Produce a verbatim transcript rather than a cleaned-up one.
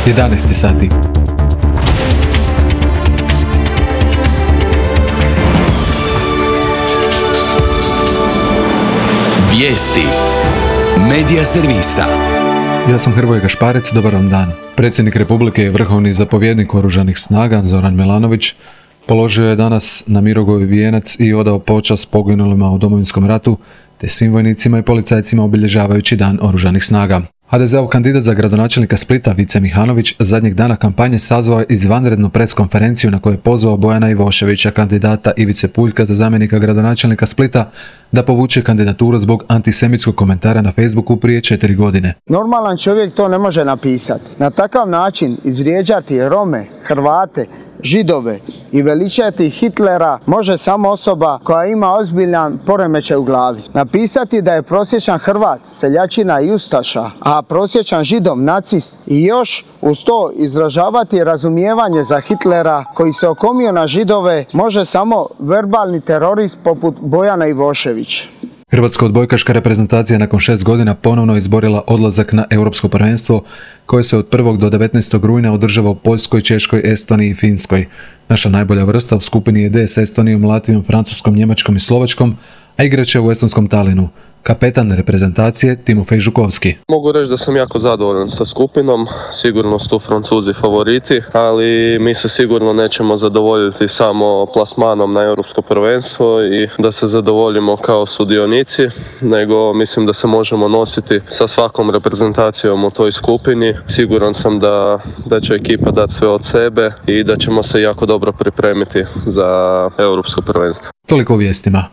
jedanaest sati. Vijesti Medija servisa. Ja sam Hrvoje Gašparec, dobar vam dan. Predsjednik Republike i vrhovni zapovjednik Oružanih snaga Zoran Milanović položio je danas na Mirogoju vijenac i odao počast poginulima u Domovinskom ratu, te svim vojnicima i policajcima obilježavajući Dan Oružanih snaga. ha de ze-ov kandidat za gradonačelnika Splita Vice Mihanović zadnjeg dana kampanje sazvao je izvanrednu preskonferenciju na kojoj je pozvao Bojana Ivoševića, kandidata Ivice Puljka za zamjenika gradonačelnika Splita, da povuče kandidaturu zbog antisemitskog komentara na Facebooku prije četiri godine. Normalan čovjek to ne može napisati. Na takav način izvrijeđati Rome, Hrvate, Židove i veličati Hitlera može samo osoba koja ima ozbiljan poremećaj u glavi. Napisati da je prosječan Hrvat seljačina i ustaša, a prosječan Židov nacist i još uz to izražavati razumijevanje za Hitlera koji se okomio na Židove može samo verbalni terorist poput Bojana Ivoševića. Hrvatska odbojkaška reprezentacija nakon šest godina ponovno izborila odlazak na Europsko prvenstvo koje se od prvog do devetnaestog rujna održava u Poljskoj, Češkoj, Estoniji i Finskoj. Naša najbolja vrsta u skupini je D s Estonijom, Latvijom, Francuskom, Njemačkom i Slovačkom, a igraće u estonskom Talinu. Kapetan reprezentacije Timofej Žukovski. Mogu reći da sam jako zadovoljan sa skupinom, sigurno su tu Francuzi favoriti, ali mi se sigurno nećemo zadovoljiti samo plasmanom na Europsko prvenstvo i da se zadovoljimo kao sudionici, nego mislim da se možemo nositi sa svakom reprezentacijom u toj skupini. Siguran sam da, da će ekipa dati sve od sebe i da ćemo se jako dobro pripremiti za Europsko prvenstvo. Toliko o vijestima.